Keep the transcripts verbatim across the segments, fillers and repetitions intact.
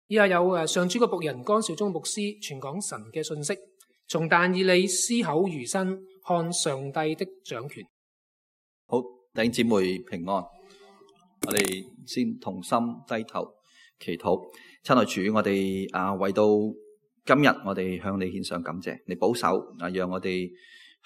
以下有誒上主嘅僕人江少忠牧師傳講神嘅信息，從但以理思考餘生，看上帝的掌權。好，弟兄姊妹平安。我哋先同心低頭祈禱。親愛主，我哋啊為到今日，我哋向你獻上感謝，你保守啊，讓我哋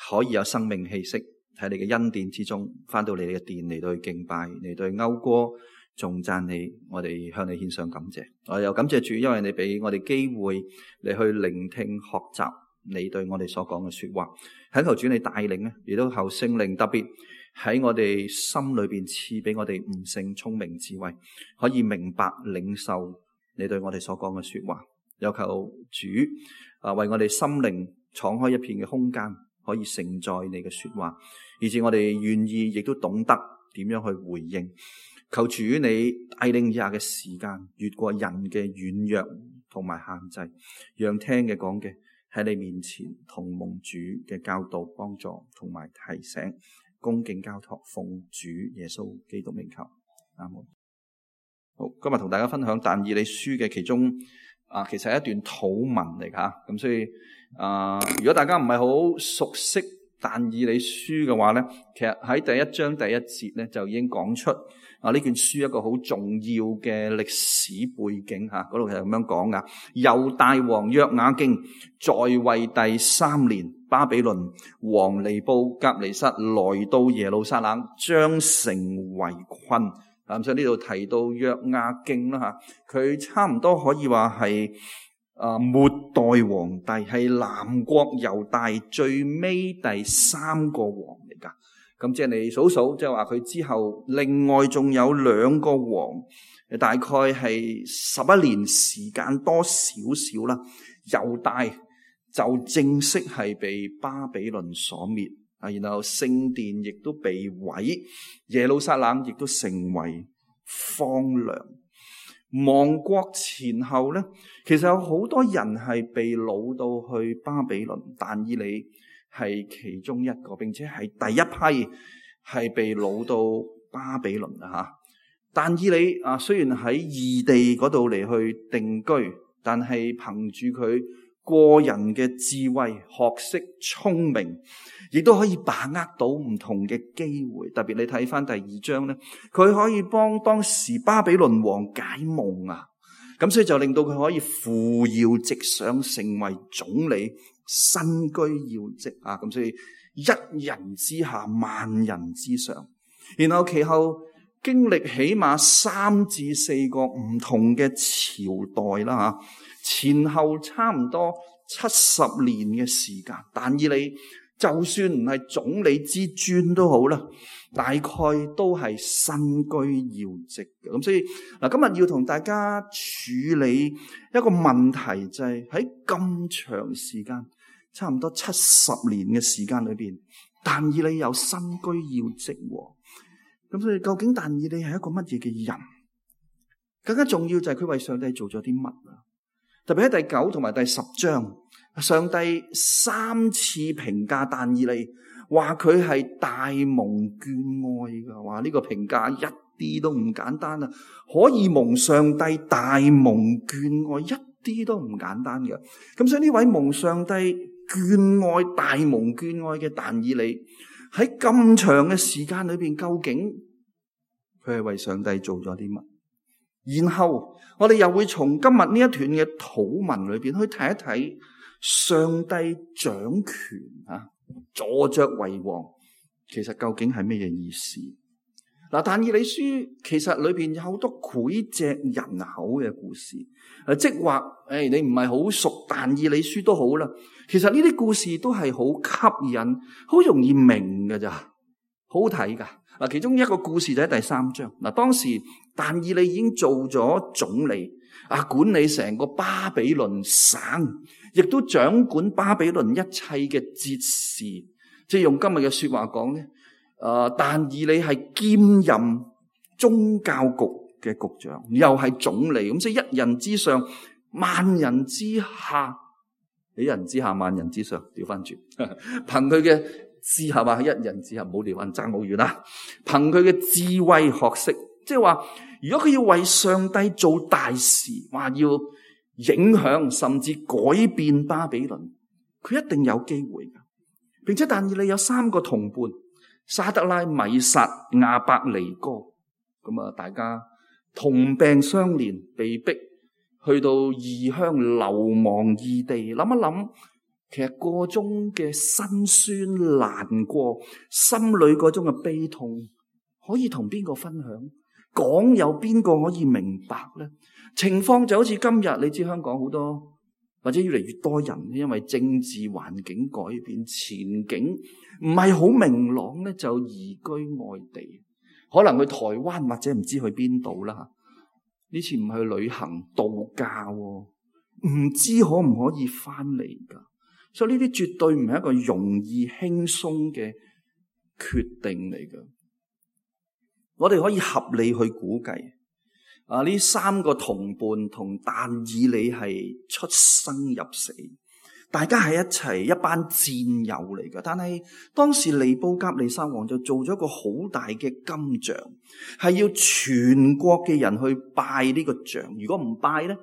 可以有生命氣息喺你嘅恩典之中，翻到你嘅殿嚟到去敬拜，嚟到去謳歌頌讚你。我哋向你獻上感謝。我又感謝主，因為你俾我哋機會嚟去聆聽學習你對我哋所講嘅說話。懇求主你帶領咧，亦都求聖靈特別喺我哋心裏邊賜俾我哋悟性、聰明、智慧，可以明白領受你對我哋所講嘅說話。有求主啊，為我哋心靈敞開一片嘅空間，可以承載你嘅說話，以致我哋願意，亦都懂得點樣去回應。求主你帶領以下嘅時間，越過人嘅軟弱同埋限制，讓聽嘅講嘅喺你面前同蒙主嘅教導、幫助同埋提醒，恭敬交託，奉主耶穌基督名求，阿門。好，今日同大家分享但以理書嘅其中啊，其實係一段禱文嚟噶，咁所以啊，如果大家唔係好熟悉但以理書嘅話咧，其實喺第一章第一節咧就已經講出啊呢卷書一個好重要嘅歷史背景吓，嗰度係咁樣講噶。猶大王約雅敬在位第三年，巴比倫王尼布甲尼撒來到耶路撒冷，將城圍困。咁所以呢度提到約雅敬啦吓，佢差唔多可以話係啊末代皇帝，係南國猶大最尾第三個王嚟噶。咁即係你數數，即係話佢之後另外仲有兩個王，大概係十一年時間多少少啦。猶大就正式係被巴比倫所滅啊，然後聖殿亦都被毀，耶路撒冷亦都成為荒涼。亡國前後咧，其實有好多人係被擄到去巴比倫，但以理係其中一個，並且係第一批係被擄到巴比倫啊吓。但以理啊，雖然喺異地嗰度嚟去定居，但係憑住佢個人嘅智慧、學識、聰明，亦都可以把握到唔同嘅機會。特別你睇翻第二章咧，佢可以幫當時巴比倫王解夢啊，咁所以就令到佢可以扶搖直上，成為總理，身居要職啊。咁所以一人之下，萬人之上。然後其後經歷起碼三至四個唔同嘅朝代啦吓。前後差唔多七十年嘅時間，但以理就算唔係總理之尊都好啦，大概都係身居要職嘅。咁所以嗱，今日要同大家處理一個問題，就係喺咁長時間，差唔多七十年嘅時間裏邊，但以理有身居要職。咁所以究竟但以理係一個乜嘢嘅人？更加重要就係佢為上帝做咗啲乜啊？特別喺第九同埋第十章，上帝三次評價但以理，話佢係大蒙眷愛噶，話呢個評價一啲都唔簡單啊！可以蒙上帝大蒙眷愛，一啲都唔簡單嘅。咁所以呢位蒙上帝眷愛、大蒙眷愛嘅但以理，喺咁長嘅時間裏邊，究竟佢係為上帝做咗啲乜？然後我哋又會從今日呢一段嘅禱文裏邊去睇一睇上帝掌權啊，坐着為王，其實究竟係咩嘢意思？嗱，但以理書其實裏邊有好多膾炙人口嘅故事，誒，即係話誒，你唔係好熟但以理書都好啦，其實呢啲故事都係好吸引，好容易明㗎咋，好好睇噶。嗱，其中一個故事就喺第三章。嗱，當時但以理已經做咗總理，啊，管理成個巴比倫省，亦都掌管巴比倫一切嘅節事。即係用今日嘅說話講咧，誒，但以理係兼任宗教局嘅局長，又係總理，咁即係一人之上，萬人之下，一人之下，萬人之上，調翻轉，憑佢嘅之下話一人之下，唔好調翻爭好遠啦。憑佢嘅智慧學識，即係話如果佢要為上帝做大事，話要影響甚至改變巴比倫，佢一定有機會㗎。並且但以理有三個同伴，沙得拉、米煞、亞伯尼哥，咁啊，大家同病相憐，被逼去到異鄉流亡異地。諗一諗，其實個中嘅辛酸難過，心裏嗰種嘅悲痛，可以同邊個分享？講有邊個可以明白呢？情況就好似今日，你知香港好多或者越嚟越多人，因為政治環境改變，前景唔係好明朗咧，就移居外地，可能去台灣或者唔知去邊度啦。呢次唔去旅行度假，唔知可唔可以翻嚟噶？所以呢啲絕對唔係一個容易輕鬆嘅決定嚟噶。我哋可以合理去估計，啊呢三個同伴同但以理係出生入死，大家係一齊一班戰友嚟噶。但係當時尼布甲尼撒王就做咗一個好大嘅金像，係要全國嘅人去拜呢個像。如果唔拜咧，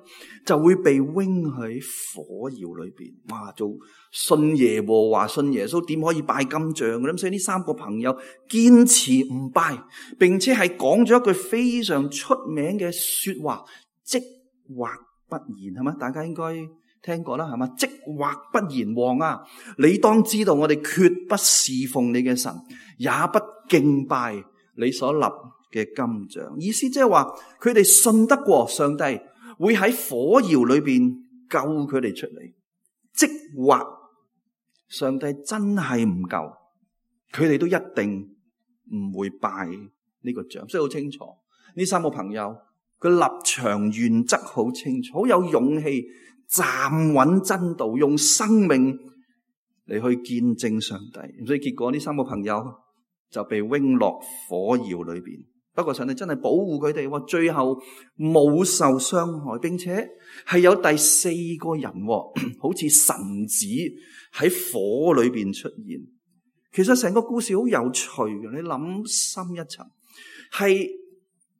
就會被扔喺火窯裏邊。哇！做信耶和華、信耶穌，點可以拜金像嘅？咁所以呢三個朋友堅持唔拜，並且係講咗一句非常出名嘅說話：即或不然，係嘛？大家應該聽過啦，係嘛？即或不然，王啊，你當知道我哋決不侍奉你嘅神，也不敬拜你所立嘅金像。意思即係話，佢哋信得過上帝會喺火窯裏邊救佢哋出嚟。即或上帝真係唔救，佢哋都一定唔會拜呢個像。所以好清楚，呢三個朋友佢立場原則好清楚，好有勇氣，站穩真道，用生命嚟去見證上帝。所以結果呢三個朋友就被扔落火窯裏邊。不過上帝真係保護佢哋，最後冇受傷害，並且係有第四個人，好似神子喺火裏邊出現。其實成個故事好有趣嘅，你諗深一層，係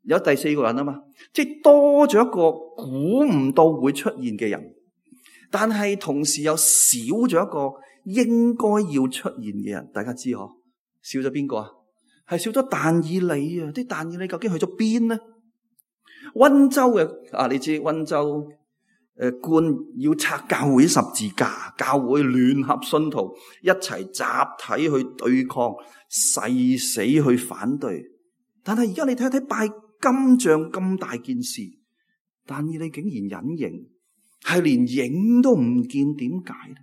有第四個人啊嘛，即係多咗一個估唔到會出現嘅人，但係同時又少咗一個應該要出現嘅人。大家知嗬？少咗邊個啊？係少咗但以理啊！啲但以理究竟去咗邊呢？溫州嘅啊，你知溫州誒官要拆教會十字架，教會聯合信徒一齊集體去對抗，誓死去反對。但係而家你睇睇拜金像咁大件事，但以理竟然隱形，係連影都唔見，點解咧？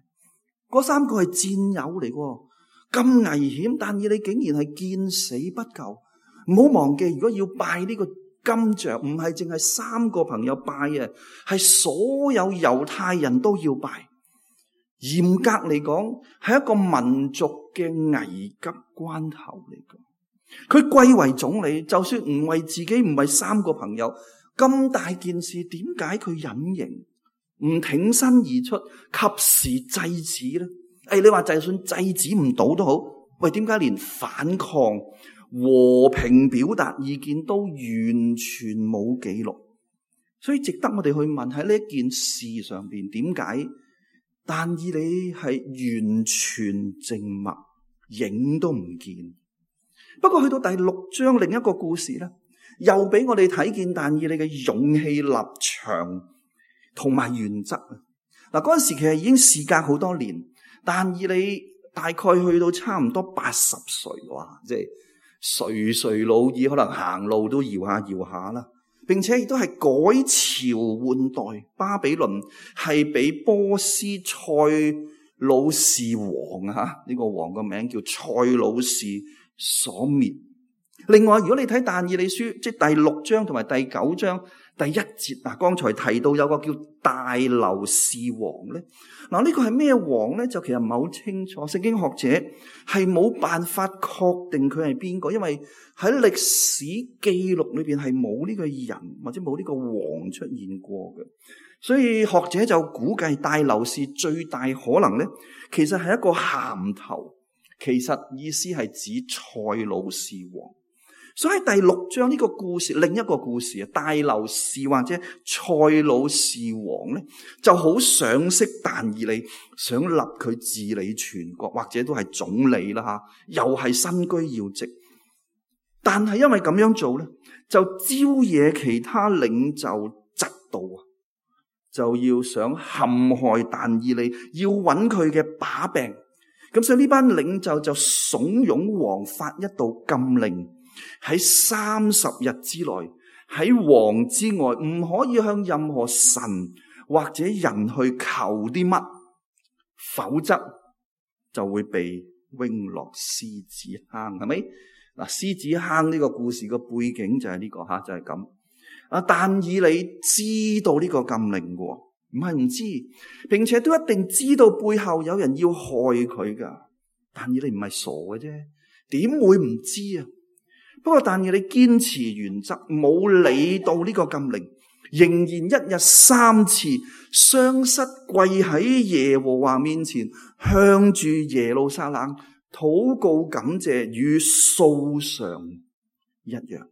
嗰三個係戰友嚟嘅。咁危險，但以理竟然係見死不救。唔好忘記，如果要拜呢個金像，唔係淨係三個朋友拜啊，係所有猶太人都要拜。嚴格嚟講，係一個民族嘅危急關頭嚟嘅。佢貴為總理，就算唔為自己，唔係三個朋友咁大件事，點解佢隱形，唔挺身而出，及時制止呢？誒，你話就算制止唔到都好，喂，點解連反抗、和平表達意見都完全冇記錄？所以值得我哋去問，喺呢一件事上邊，點解但以理係完全靜默，影都唔見？不過去到第六章另一個故事咧，又俾我哋睇見但以理嘅勇氣、立場同埋原則啊！嗱，嗰陣時其實已經事隔好多年。但以理大概去到差唔多八十歲，哇！即係垂垂老矣，可能行路都搖下搖下啦。並且亦都係改朝換代，巴比倫係俾波斯塞魯士王啊，呢、這個王個名叫塞魯士所滅。另外，如果你睇但以理書，即係第六章同埋第九章第一節啊，剛才提到有個叫大流士王咧。嗱，呢個係咩王咧？就其實唔係好清楚，聖經學者係冇辦法確定佢係邊個，因為喺歷史記錄裏邊係冇呢個人或者冇呢個王出現過嘅。所以學者就估計大流士最大可能咧，其實係一個銜頭，其實意思係指塞魯士王。所以第六章呢個故事，另一個故事啊，大流士或者塞魯士王咧，就好賞識但以理，想立佢治理全國，或者都係總理啦吓，又係身居要職。但係因為咁樣做咧，就招惹其他領袖嫉妒啊，就要想陷害但以理，要揾佢嘅把柄。咁所以呢班領袖就慫恿王發一道禁令，喺三十日之內，喺王之外唔可以向任何神或者人去求啲乜，否則就會被扔落獅子坑，係咪？嗱，獅子坑呢個故事個背景就係呢個吓，就係咁。啊，但以理知道呢個禁令嘅，唔係唔知，並且都一定知道背後有人要害佢噶。但以理唔係傻嘅啫，點會唔知啊？不過但以理堅持原則，冇理到呢個禁令，仍然一日三次雙膝跪喺耶和華面前，向住耶路撒冷禱告感謝，與素常一樣。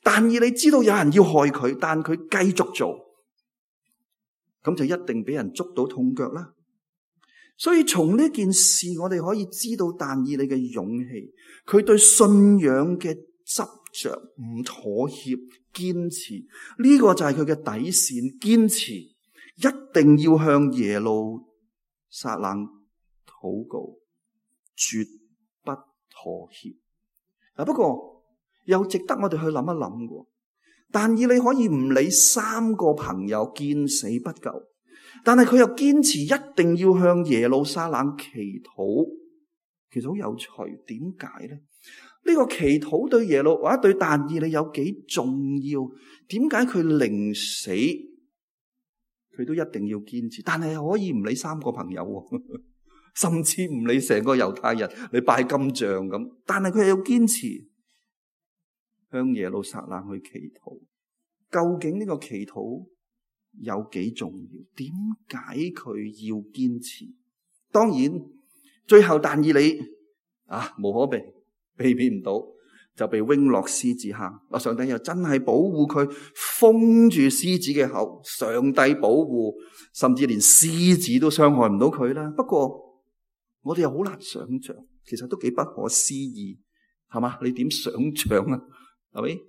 但以理知道有人要害佢，但佢繼續做，咁就一定俾人捉到痛腳啦。所以從呢件事，我哋可以知道但以理嘅勇氣，佢對信仰嘅執着、唔妥協、堅持，呢個就係佢嘅底線。堅持一定要向耶路撒冷禱告，絕不妥協。啊，不過又值得我哋去諗一諗嘅。但以理可以唔理三個朋友見死不救，但係佢又堅持一定要向耶路撒冷祈禱。其實好有趣，點解呢？呢個祈禱對耶路或者對但以理有幾重要？點解佢寧死佢都一定要堅持？但係可以唔理三個朋友，甚至唔理成個猶太人，你拜金像咁，但係佢係要堅持向耶路撒冷去祈禱。究竟呢個祈禱有幾重要？點解佢要堅持？當然最後但以理啊，無可避避免唔到，就被扔落獅子坑。上帝又真係保護佢，封住獅子嘅口。上帝保護，甚至連獅子都傷害唔到佢啦。不過我哋又好難想象，其實都幾不可思議，係嘛？你點想象啊？係咪？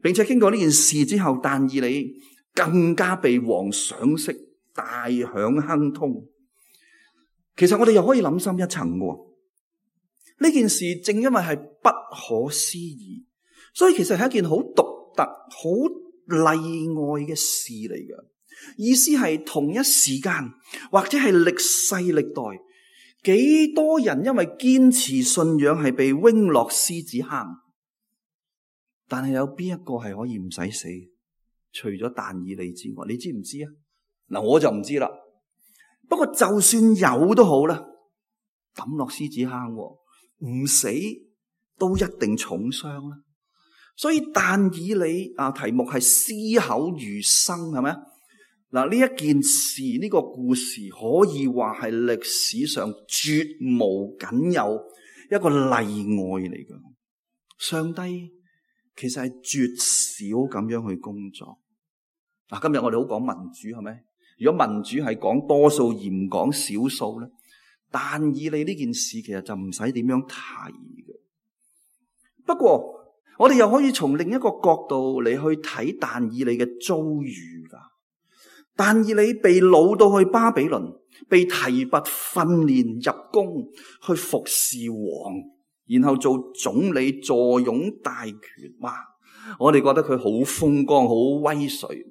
並且經過呢件事之後，但以理更加被王賞識，大享亨通。其實我哋又可以諗深一層喎。呢件事正因為係不可思議，所以其實係一件好獨特、好例外嘅事嚟嘅。意思係同一時間或者係歷世歷代，幾多人因為堅持信仰係被扔落獅子坑，但係有邊一個係可以唔使死？除咗但以理之外，你知唔知啊？嗱，我就唔知啦。不過就算有都好啦，抌落獅子坑，唔死都一定重傷啦。所以但以理啊，題目係屍口如生，係咪啊？嗱，呢一件事，呢個故事可以話係歷史上絕無僅有一個例外嚟嘅。上帝其實係絕少咁樣去工作。嗱，今日我哋好講民主，係咪？如果民主係講多數而唔講少數咧，但以理呢件事其實就唔使點樣提嘅。不過我哋又可以從另一個角度嚟去睇但以理嘅遭遇噶。但以理被擄到去巴比倫，被提拔訓練入宮去服侍王，然後做總理，坐擁大權。哇！我哋覺得佢好風光，好威水。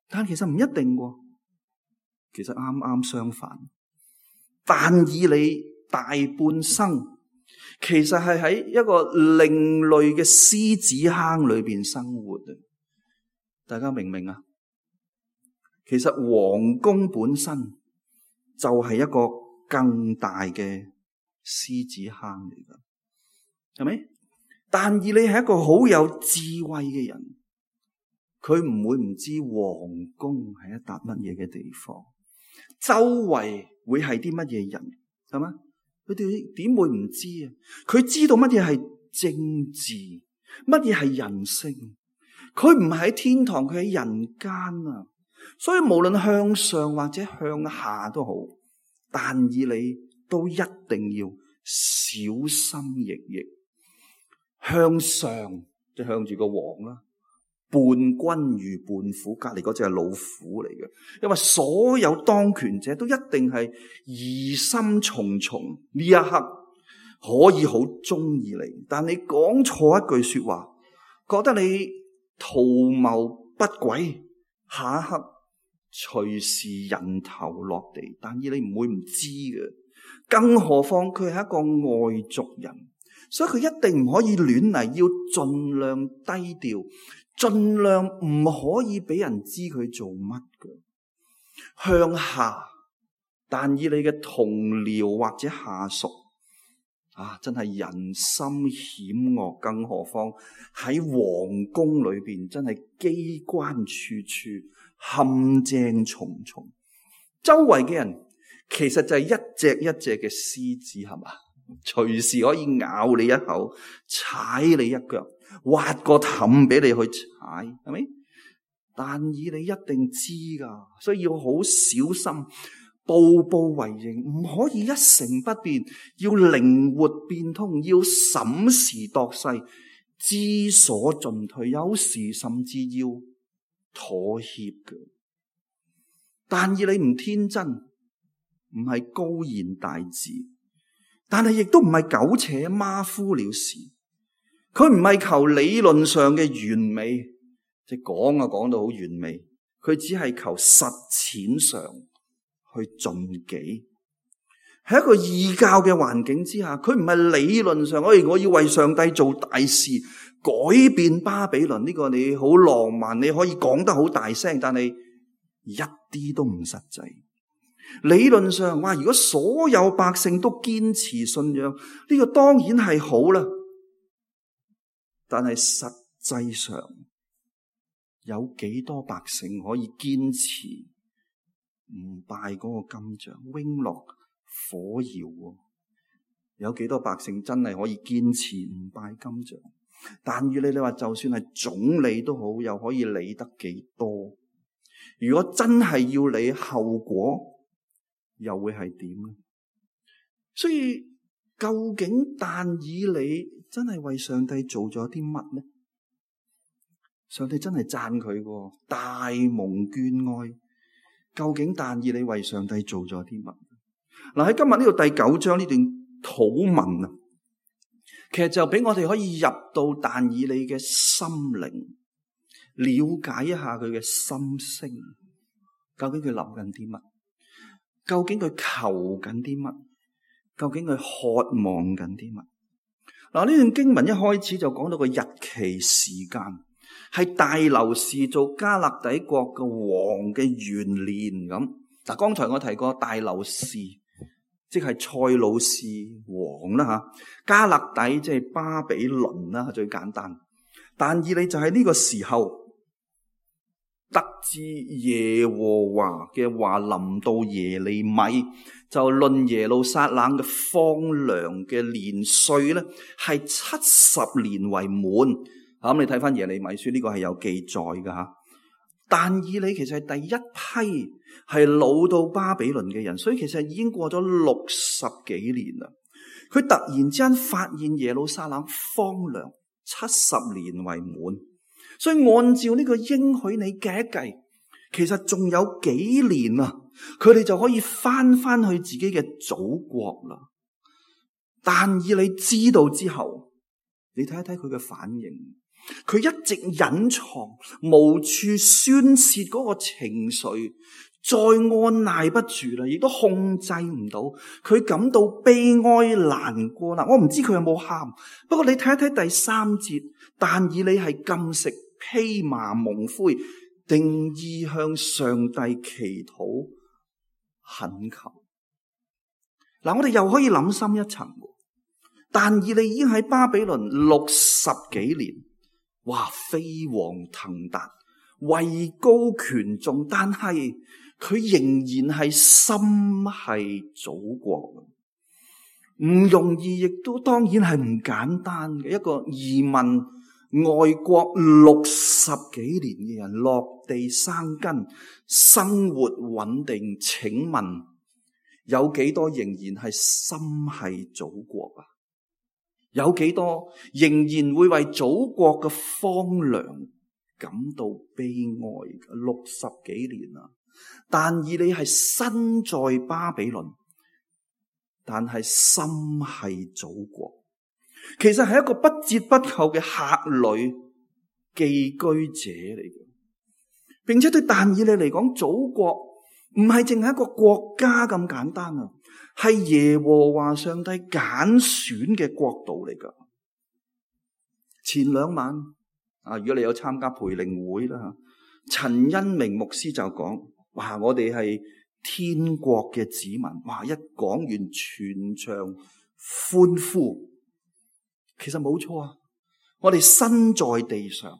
但其實唔一定喎，其實啱啱相反。但以理大半生其實係喺一個另類嘅獅子坑裏邊生活啊！大家明唔明啊？其實皇宮本身就係一個更大嘅獅子坑嚟噶，係咪？但以理係一個好有智慧嘅人。佢唔會唔知皇宮係一笪乜嘢嘅地方，周圍會係啲乜嘢人，係嘛？佢哋點會唔知啊？佢知道乜嘢係政治，乜嘢係人性？佢唔係喺天堂，佢喺人間啊！所以無論向上或者向下都好，但以理都一定要小心翼翼。向上就向住個王啦，伴君如伴虎，隔籬嗰隻係老虎嚟嘅。因為所有當權者都一定係疑心重重，呢一刻可以好中意你，但你講錯一句說話，覺得你圖謀不軌，下一刻隨時人頭落地。但以理唔會唔知嘅，更何況佢係一個外族人，所以佢一定唔可以亂嚟，要盡量低調，盡量唔可以俾人知佢做乜嘅。向下，但以理嘅同僚或者下屬啊，真係人心險惡，更何況喺皇宮裏邊，真係機關處處，陷阱重重。周圍嘅人其實就係一隻一隻嘅獅子，係嘛？隨時可以咬你一口，踩你一腳，挖個氹俾你去踩，係咪？但以理一定知噶，所以要好小心。步步為營，唔可以一成不變，要靈活變通，要審時度勢，知所進退，有時甚至要妥協嘅。但以理唔天真，唔係高言大智，但係亦都唔係苟且馬虎了事。佢唔係求理論上嘅完美，即係講啊講到好完美，佢只係求實踐上去盡己。喺一個異教嘅環境之下，佢唔係理論上，哎，我要為上帝做大事，改變巴比倫，呢個你好浪漫，你可以講得好大聲，但係一啲都唔實際。理論上話，如果所有百姓都堅持信仰，呢個當然係好啦。但係實際上有幾多百姓可以堅持唔拜嗰個金像，瓮落火窯？有幾多百姓真係可以堅持唔拜金像？但以理你話就算係總理都好，又可以理得幾多？如果真係要理後果，又會係點呢？所以究竟但以理真係為上帝做咗啲乜呢？上帝真係讚佢喎，大蒙眷愛。究竟但以理為上帝做咗啲乜？嗱，喺今日呢個第九章呢段禱文啊，其實就俾我哋可以入到但以理嘅心靈，了解一下佢嘅心聲。究竟佢諗緊啲乜？究竟佢求緊啲乜？究竟佢渴望緊啲乜？嗱，呢段經文一開始就講到個日期時間，係大流士做加勒底國嘅王嘅元年咁。嗱，剛才我提過大流士，即係塞魯士王啦吓，加勒底即係巴比倫啦，最簡單。但以理就喺呢個時候得知耶和華嘅話臨到耶利米，就論耶路撒冷嘅荒涼嘅年歲咧，係七十年為滿。咁、嗯、你睇翻耶利米書呢、這個係有記載噶吓。但以理其實係第一批係老到巴比倫嘅人，所以其實已經過咗六十幾年啦。佢突然之間發現耶路撒冷荒涼，七十年為滿。所以按照呢個應許你計一計，其實仲有幾年啊，佢哋就可以翻翻去自己嘅祖國啦。但以理知道之後，你睇一睇佢嘅反應，佢一直隱藏，無處宣泄嗰個情緒，再按捺不住啦，亦都控制唔到，佢感到悲哀難過啦。我唔知佢有冇喊，不過你睇一睇第三節，但以理係禁食、披麻蒙灰，定意向上帝祈禱懇求。嗱，我哋又可以諗深一層，但以理已經喺巴比倫六十幾年，哇，飛黃騰達，位高權重，但係佢仍然係心係祖國，唔容易，亦都當然係唔簡單嘅一個移民。外國六十幾年嘅人落地生根，生活穩定，請問有幾多仍然係心繫祖國啊？有幾多仍然會為祖國嘅荒涼感到悲哀？六十幾年啦，但以理係身在巴比倫，但係心繫祖國。其實係一個不折不扣嘅客旅寄居者嚟嘅，並且對但以理嚟講，祖國唔係淨係一個國家咁簡單啊，係耶和華上帝揀選嘅國度嚟噶。前兩晚啊，如果你有參加培靈會啦，陳恩明牧師就講：哇，我哋係天國嘅子民。哇，一講完全場歡呼。其實冇錯啊，我哋身在地上，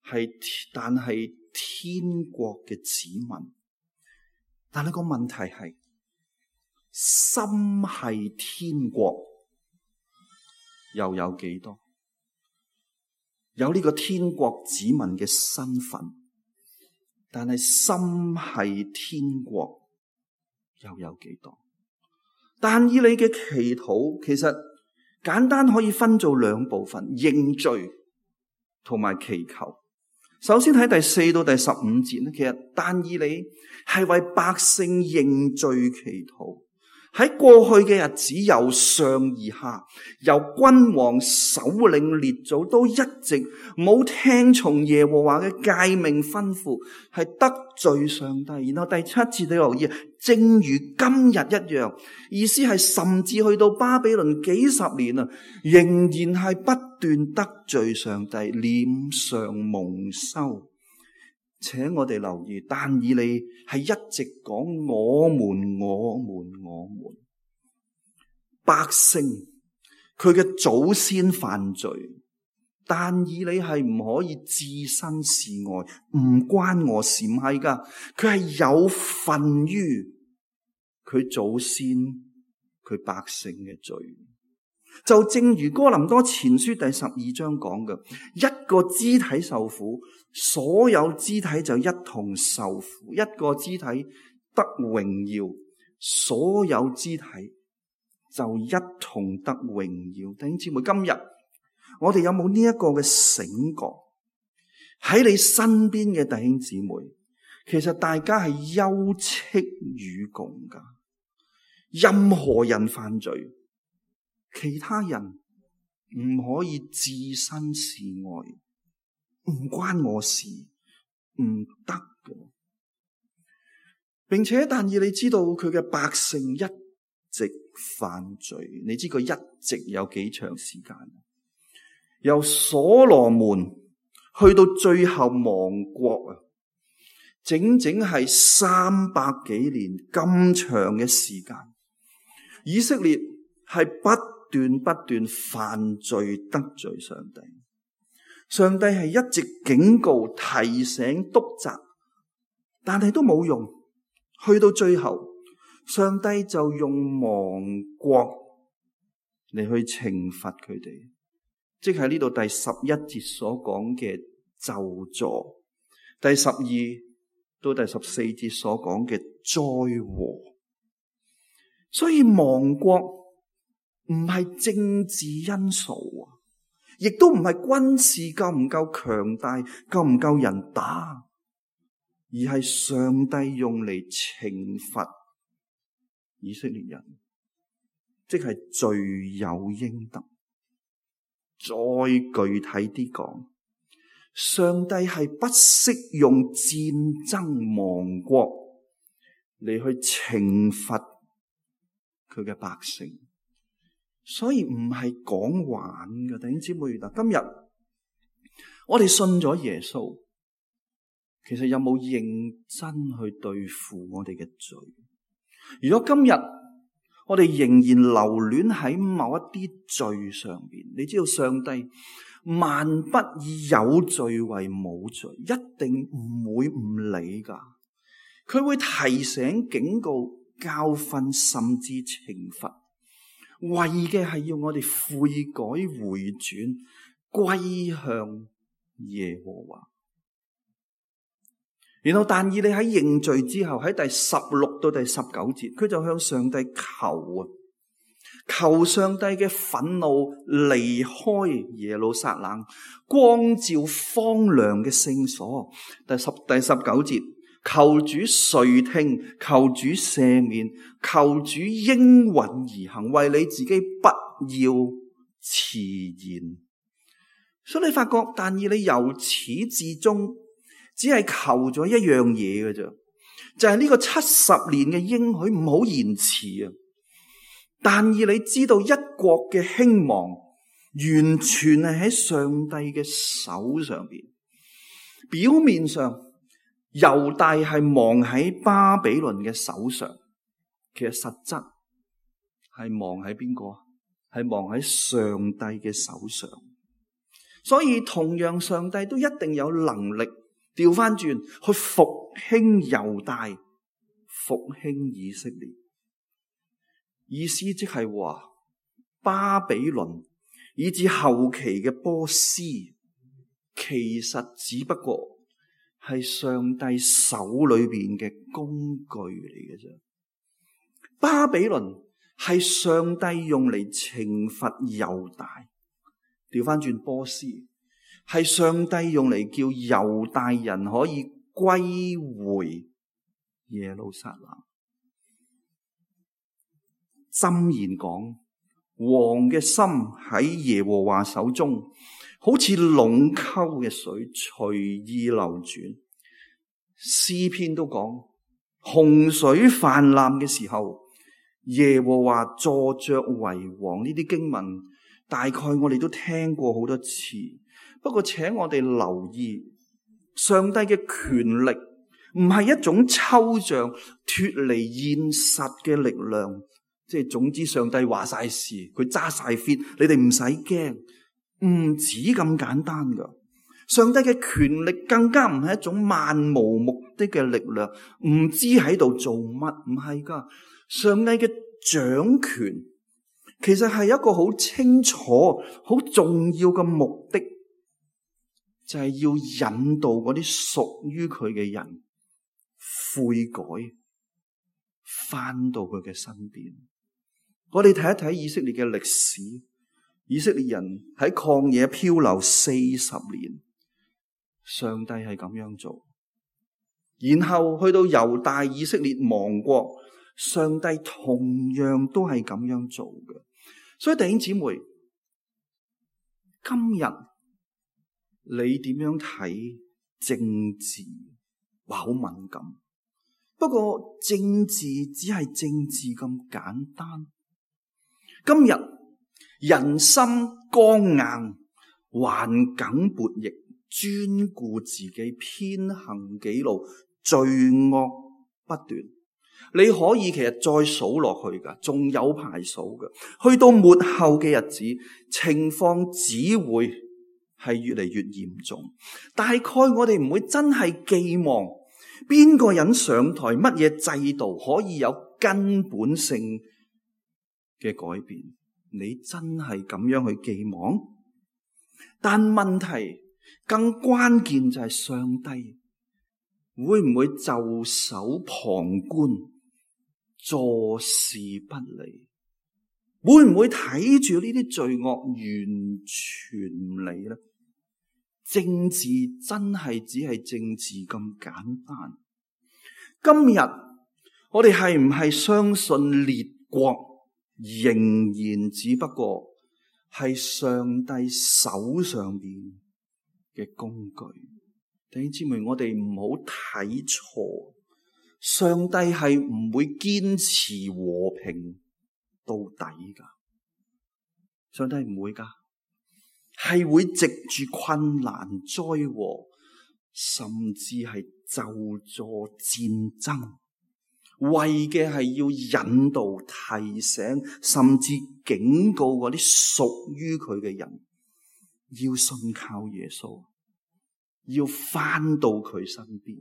係但係天國嘅子民。但係個問題係，心繫天國又有幾多？有呢個天國子民嘅身份，但係心繫天國又有幾多？但以理嘅祈禱其實簡單可以分做兩部分：認罪同埋祈求。首先喺第四到第十五節咧，其實但以理係為百姓認罪祈禱。喺過去嘅日子，由上而下，由君王、首領、列祖都一直冇聽從耶和華嘅誡命吩咐，係得罪上帝。然後第七節你留意，正如今日一樣，意思係甚至去到巴比倫幾十年啊，仍然係不斷得罪上帝，臉上蒙羞。請我哋留意，但以理係一直講我們我們我們百姓，佢嘅祖先犯罪，但以理係唔可以置身事外，唔關我事，唔係噶，佢係有份於佢祖先佢百姓嘅罪。就正如哥林多前書第十二章講嘅，一個肢體受苦，所有肢體就一同受苦；一個肢體得榮耀，所有肢體就一同得榮耀。弟兄姊妹，今日我哋有冇呢一個嘅醒覺？喺你身邊嘅弟兄姊妹，其實大家係休戚與共噶。任何人犯罪，其他人唔可以置身事外，唔關我事，唔得嘅。並且但以理知道佢嘅百姓一直犯罪，你知佢一直有幾長時間？由所羅門去到最後亡國啊，整整係三百幾年咁長嘅時間。以色列係不斷不斷犯罪得罪上帝，上帝係一直警告、提醒、督責，但係都冇用。去到最後，上帝就用亡國嚟去懲罰佢哋，即係呢度第十一節所講嘅咒詛，第十二到第十四節所講嘅災禍。所以亡國唔係政治因素啊，亦都唔係軍事夠唔夠強大、夠唔夠人打，而係上帝用嚟懲罰以色列人，即係罪有應得。再具體啲講，上帝係不惜用戰爭亡國嚟去懲罰佢嘅百姓，所以唔係講玩嘅。弟兄姊妹，嗱，今日我哋信咗耶穌，其實有冇認真去對付我哋嘅罪？如果今日我哋仍然留戀喺某一啲罪上邊，你知道上帝萬不以有罪為冇罪，一定唔會唔理噶。佢會提醒、警告、教訓，甚至懲罰，為嘅係要我哋悔改回轉，歸向耶和華。然後但以理喺認罪之後，喺第十六到第十九節，佢就向上帝求啊，求上帝嘅憤怒離開耶路撒冷，光照荒涼嘅聖所。第十第十九節，求主垂聽，求主赦免，求主應允而行，為你自己不要遲延。所以你發覺但以理由始至終只係求咗一樣嘢嘅啫，就係呢個七十年嘅應許唔好延遲啊！但以理知道一國嘅興亡完全係喺上帝嘅手上邊。表面上猶大係亡喺巴比倫嘅手上，其實實質係亡喺邊個？係亡喺上帝嘅手上。所以同樣上帝都一定有能力調翻轉去復興猶大，復興以色列。意思即係話巴比倫以至後期嘅波斯，其實只不過係上帝手裏邊嘅工具嚟嘅啫。巴比倫係上帝用嚟懲罰猶大，調翻轉波斯係上帝用嚟叫猶大人可以歸回耶路撒冷。箴言講，王嘅心喺耶和華手中，好似隴溝嘅水隨意流轉。詩篇都講，洪水泛濫嘅時候，耶和華坐着為王。呢啲經文大概我哋都聽過好多次，不過請我哋留意，上帝嘅權力唔係一種抽象脫離現實嘅力量。即係總之上帝話晒事，佢揸晒 fit， 你哋唔使驚，唔止咁簡單噶。上帝嘅權力更加唔係一種漫無目的嘅力量，唔知喺度做乜，唔係噶。上帝嘅掌權其實係一個好清楚、好重要嘅目的，就係要引導嗰啲屬於佢嘅人悔改，翻到佢嘅身邊。我哋睇一睇以色列嘅歷史，以色列人喺曠野漂流四十年，上帝係咁樣做。然後去到猶大以色列亡國，上帝同樣都係咁樣做嘅。所以弟兄姊妹，今日你點樣睇政治？哇，好敏感。不過政治只係政治咁簡單。今日人心剛硬，頑梗悖逆，專顧自己，偏行己路，罪惡不斷。你可以其實再數落去噶，仲有排數噶。去到末後嘅日子，情況只會係越嚟越嚴重。大概我哋唔會真係寄望邊個人上台，乜嘢制度可以有根本性嘅改變，你真係咁樣去寄望？但問題更關鍵就係上帝會唔會袖手旁觀，坐視不理？會唔會睇住呢啲罪惡完全唔理呢？政治真係只係政治咁簡單。今日我哋係唔係相信列國仍然只不過係上帝手上邊嘅工具？弟兄姊妹，我哋唔好睇錯，上帝係唔會堅持和平到底噶，上帝唔會噶，係會藉住困難災禍，甚至係咒詛戰爭，為嘅係要引導、提醒，甚至警告嗰啲屬於佢嘅人，要信靠耶穌，要返到佢身邊。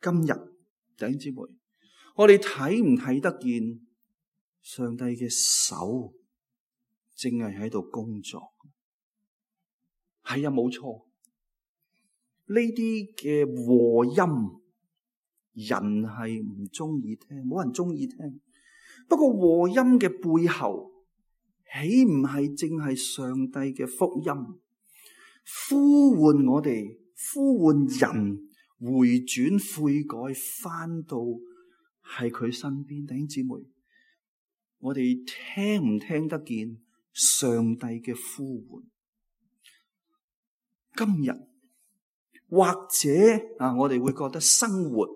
今日弟兄姊妹，我哋睇唔睇得見上帝嘅手正係喺度工作？係啊，冇錯。呢啲嘅和音，人係唔中意聽，冇人中意聽。不過和音嘅背後，豈唔係正係上帝嘅福音，呼喚我哋，呼喚人回轉悔改，翻到係佢身邊。弟兄姊妹，我哋聽唔聽得見上帝嘅呼喚？今日或者啊，我哋會覺得生活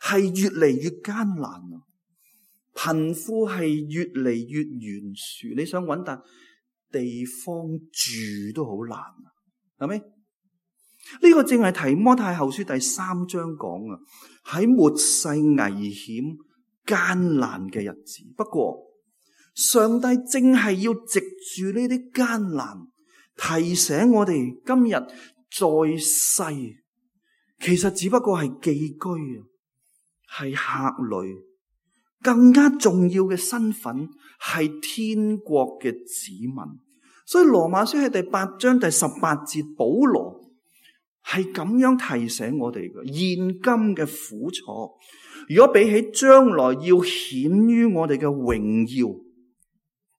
係越嚟越艱難啊，貧富係越嚟越懸殊，你想搵笪地方住都好難啊，係咪？呢個正係提摩太後書第三章講啊，喺末世危險艱難嘅日子。不過上帝正係要藉住呢啲艱難，提醒我哋今日在世，其實只不過係寄居啊，係客旅。更加重要嘅身份係天國嘅子民。所以羅馬書喺第八章第十八節，保羅係咁樣提醒我哋嘅：現今嘅苦楚，如果比起將來要顯於我哋嘅榮耀，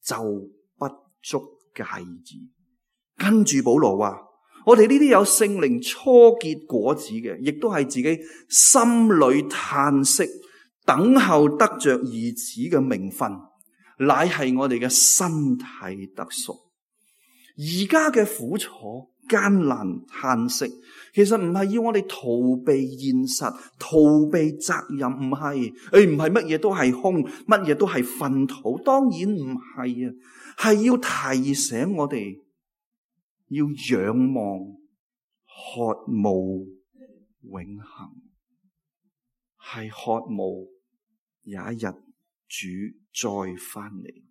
就不足介意。跟住保羅話，我哋呢啲有聖靈初結果子嘅，亦都係自己心裏嘆息，等候得着兒子嘅名分，乃係我哋嘅身體得贖。而家嘅苦楚、艱難、嘆息，其實唔係要我哋逃避現實、逃避責任，唔係，誒唔係乜嘢都係空，乜嘢都係糞土，當然唔係啊，係要提醒我哋要仰望、渴慕永恆，係渴慕有一日主再翻嚟。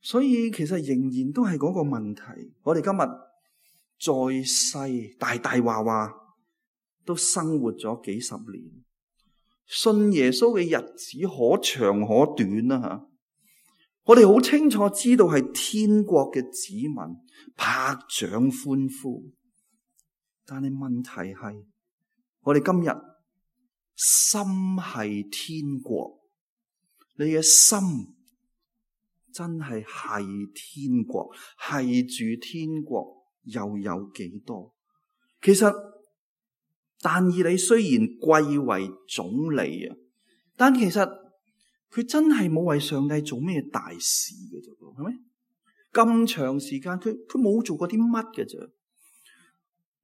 所以其實仍然都係嗰個問題，我哋今日在世大大話話都生活咗幾十年，信耶穌嘅日子可長可短啦吓。我哋好清楚知道係天國嘅子民，拍掌歡呼。但係問題係，我哋今日心係天國，你嘅心真係係天國，係住天國又有幾多？其實但以理雖然貴為總理啊，但其實佢真係冇為上帝做咩大事嘅啫，係咪？咁長時間佢佢冇做過啲乜嘅啫。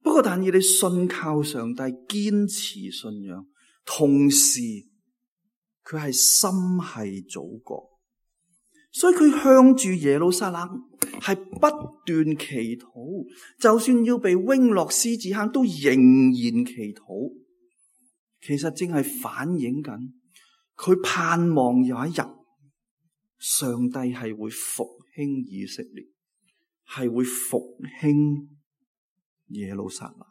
不過但以理信靠上帝，堅持信仰，同時佢係心係祖國。所以佢向住耶路撒冷係不斷祈禱，就算要被扔落獅子坑都仍然祈禱。其實正係反映緊佢盼望有一日上帝係會復興以色列，係會復興耶路撒冷。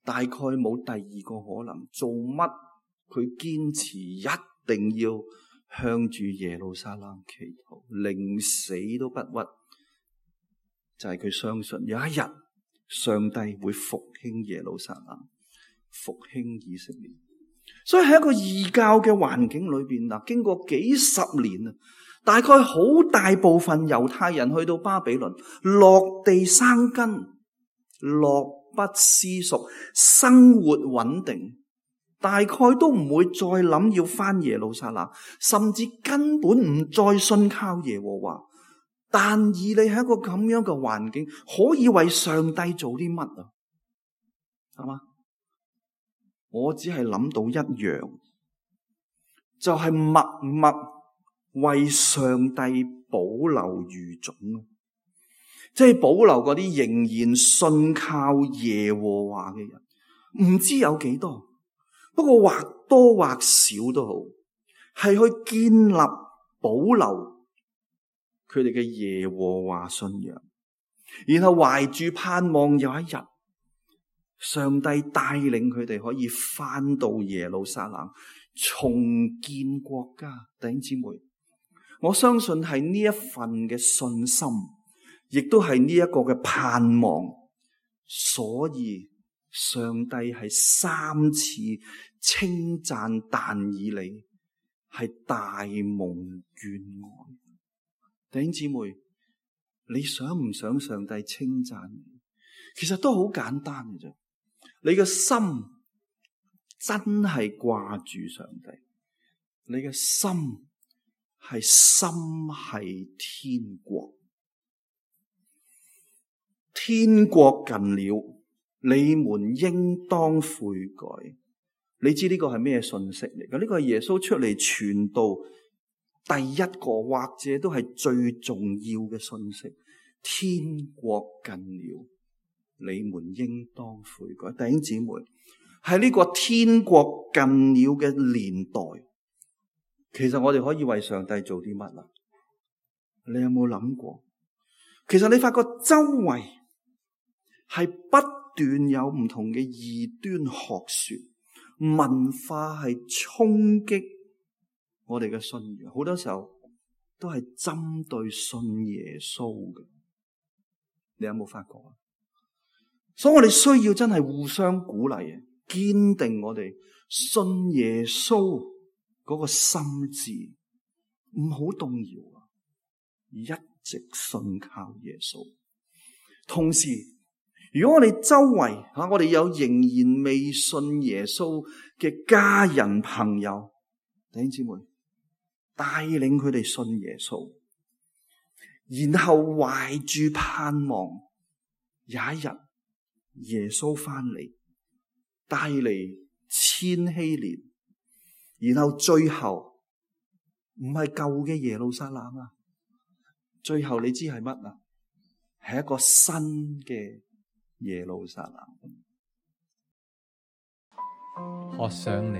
大概冇第二個可能，做乜佢堅持一定要向住耶路撒冷祈禱，寧死都不屈，就係佢相信有一日上帝會復興耶路撒冷，復興以色列。所以喺一個異教嘅環境裏邊嗱，經過幾十年啊，大概好大部分猶太人去到巴比倫落地生根，樂不思蜀，生活穩定。大概都唔會再諗要返耶路撒冷，甚至根本唔再信靠耶和華。但以理喺一個咁樣嘅環境，可以為上帝做啲乜啊？係嘛？我只係諗到一樣，就係默默為上帝保留餘種，即係保留嗰啲仍然信靠耶和華嘅人，唔知有幾多。不過或多或少都好，係去建立保留佢哋嘅耶和華信仰，然後懷住盼望有一日上帝帶領佢哋可以翻到耶路撒冷重建國家。弟兄姊妹，我相信係呢一份嘅信心，亦都係呢一個嘅盼望。所以上帝係三次稱讚但以理係大蒙眷愛。弟兄姊妹，你想唔想上帝稱讚你？其實都好簡單嘅啫。你嘅心真係掛住上帝，你嘅心係心係天國，天國近了，你們應當悔改。你知呢個係咩信息嚟嘅？呢個係耶穌出嚟傳道第一個或者都係最重要嘅信息。天國近了，你們應當悔改。弟兄姊妹，喺呢個天國近了嘅年代，其實我哋可以為上帝做啲乜啊？你有冇諗過？其實你發覺周圍係不斷有唔同嘅異端學說，文化係衝擊我哋嘅信仰，好多時候都係針對信耶穌嘅。你有冇發覺啊？所以我哋需要真係互相鼓勵啊，堅定我哋信耶穌嗰個心志，唔好動搖啊！一直信靠耶穌。同時，如果我哋周圍吓，我哋有仍然未信耶穌嘅家人朋友，弟兄姊妹，帶領佢哋信耶穌，然後懷住盼望，有一日耶穌翻嚟，帶嚟千禧年，然後最後唔係舊嘅耶路撒冷啊，最後你知係乜啊？係一個新嘅耶路撒冷。渴想你，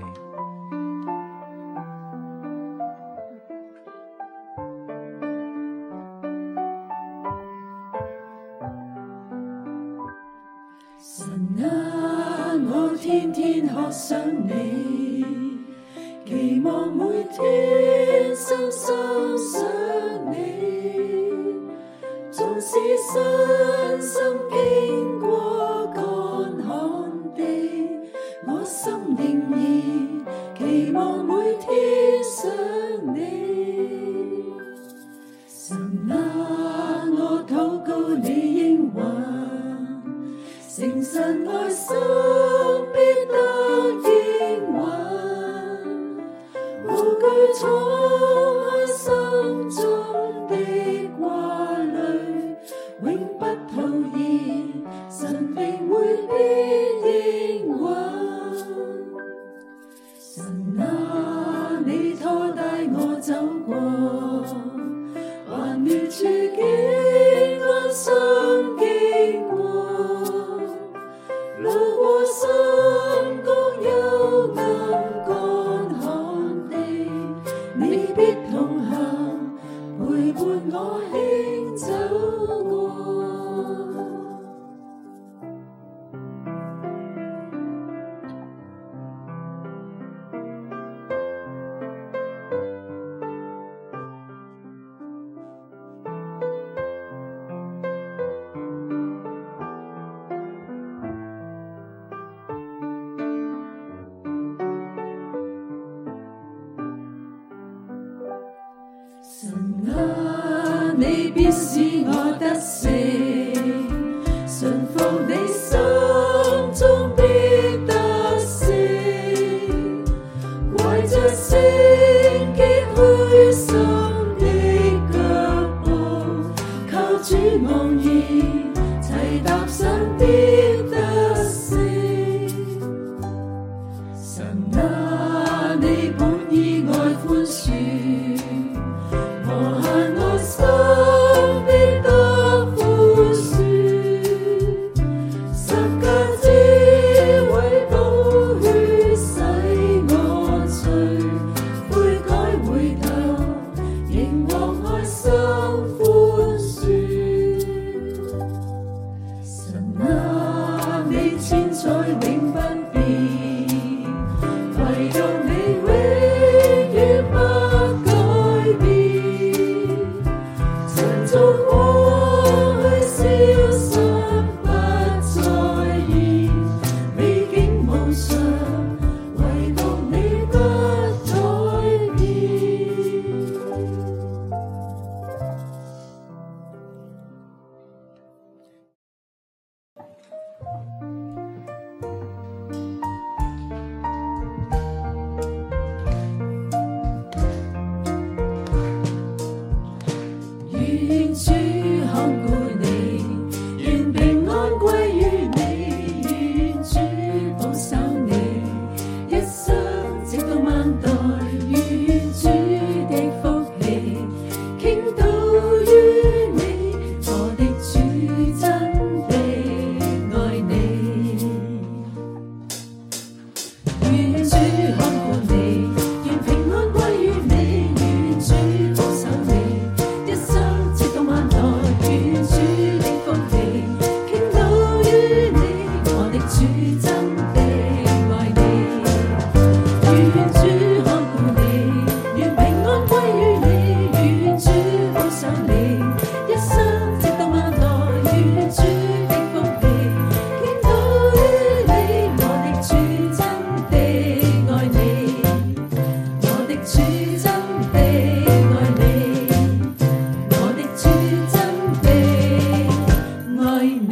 神啊，我天天渴想你，期望每天深深想你，縱使身心經過乾旱地，我心仍然期望每天想你。神啊，我禱告你應允，誠實愛心必得應允，無懼敞開心中的掛慮，永不徒然，神定會必應允。神啊，你拖帶我走過幻滅處境，安心經過，路過深谷幽暗乾旱地，你必同行，陪伴我輕走過。神啊，你必使我得勝，順服你心中必得勝，懷着聖潔虛心的腳步，靠主昂然，齊踏上必得勝。神啊，你本意愛寬恕，無限愛心必得寬恕，十架之位寶血洗我罪，悔改回頭，仍獲愛心寬恕。神啊，你千載永不變，唯生直到萬代，願主的福氣傾倒於你，我的主真的愛你。願主看顧你，願平安歸於你，願主保守你，一生直到萬代，願主的福氣傾倒於你，我的主真的愛你。願主看顧你，願平安歸於你，願主保守你，一生直到萬代，願主的福氣傾倒於你，我的主真的愛你，我的主真的愛你，我的主真的愛你。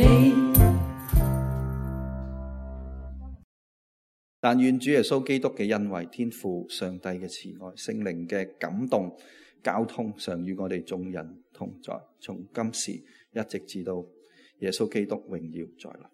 但願主耶穌基督嘅恩惠、天父上帝嘅慈愛、聖靈嘅感動、交通，常與我哋眾人同在，從今時一直至到耶穌基督榮耀再來。